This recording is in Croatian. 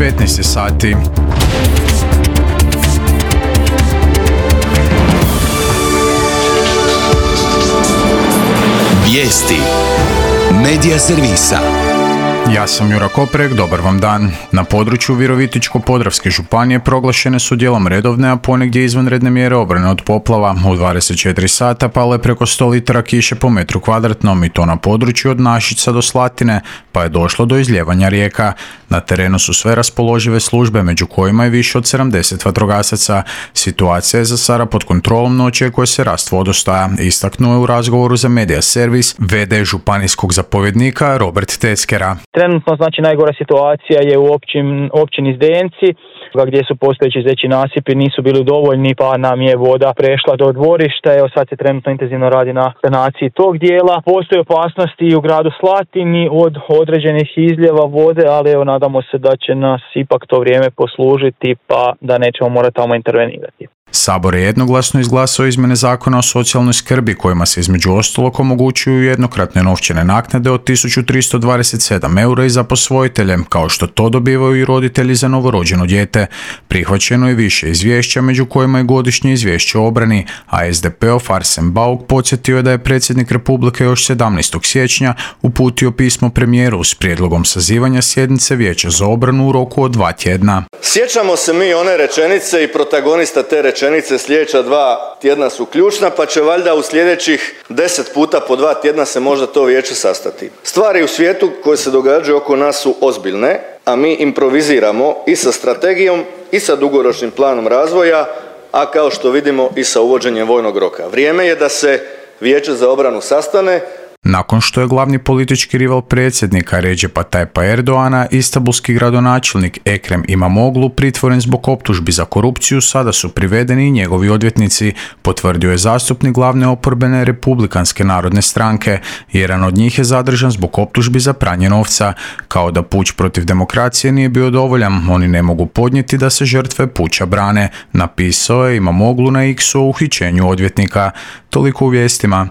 15 sati. Vijesti Medija servisa. Ja sam Jura Koprek, dobar vam dan. Na području Virovitičko-podravske županije proglašene su dijelom redovne, a ponegdje izvanredne mjere obrane od poplava. U 24 sata palo je preko 100 litara kiše po metru kvadratnom i to na području od Našica do Slatine, pa je došlo do izljevanja rijeka. Na terenu su sve raspoložive službe, među kojima je više od 70 vatrogasaca. Situacija je za sada pod kontrolom, no očekuje se rast vodostaja, istaknuo je u razgovoru za Medija servis v.d. županijskog zapovjednika Robert Teckera. Trenutno najgora situacija je u općini Zdenci, gdje su postojeći zeći nasipi nisu bili dovoljni, pa nam je voda prešla do dvorišta. Evo sad se trenutno intenzivno radi na sanaciji tog dijela. Postoje opasnosti i u gradu Slatini od određenih izljeva vode, ali evo nadamo se da će nas ipak to vrijeme poslužiti, pa da nećemo morati tamo intervenirati. Sabor je jednoglasno izglasao izmjene zakona o socijalnoj skrbi, kojima se između ostalog omogućuju jednokratne novčane naknade od 1327 eura i za posvojitelje, kao što to dobivaju i roditelji za novorođeno dijete. Prihvaćeno je više izvješća, među kojima je godišnje izvješće o obrani, a SDP-ov Arsen Bauk podsjetio je da je predsjednik Republike još 17. siječnja uputio pismo premijeru s prijedlogom sazivanja sjednice Vijeća za obranu u roku od 2 tjedna. Sjećamo se mi one rečenice i protagonista te rečenice sljedeća 2 tjedna su ključna, pa će valjda u sljedećih 10 puta po 2 tjedna se možda to vijeće sastati. Stvari u svijetu koje se događaju oko nas su ozbiljne, a mi improviziramo i sa strategijom i sa dugoročnim planom razvoja, a kao što vidimo i sa uvođenjem vojnog roka. Vrijeme je da se Vijeće za obranu sastane. Nakon što je glavni politički rival predsjednika Redžepa Tajpa Erdoana, istanbulski gradonačelnik Ekrem Imamoglu, pritvoren zbog optužbi za korupciju, sada su privedeni i njegovi odvjetnici, potvrdio je zastupnik glavne oporbene Republikanske narodne stranke. Jedan od njih je zadržan zbog optužbi za pranje novca. Kao da puč protiv demokracije nije bio dovoljan, oni ne mogu podnijeti da se žrtve puča brane, napisao je Imamoglu na X-u o uhićenju odvjetnika. Toliko u vijestima.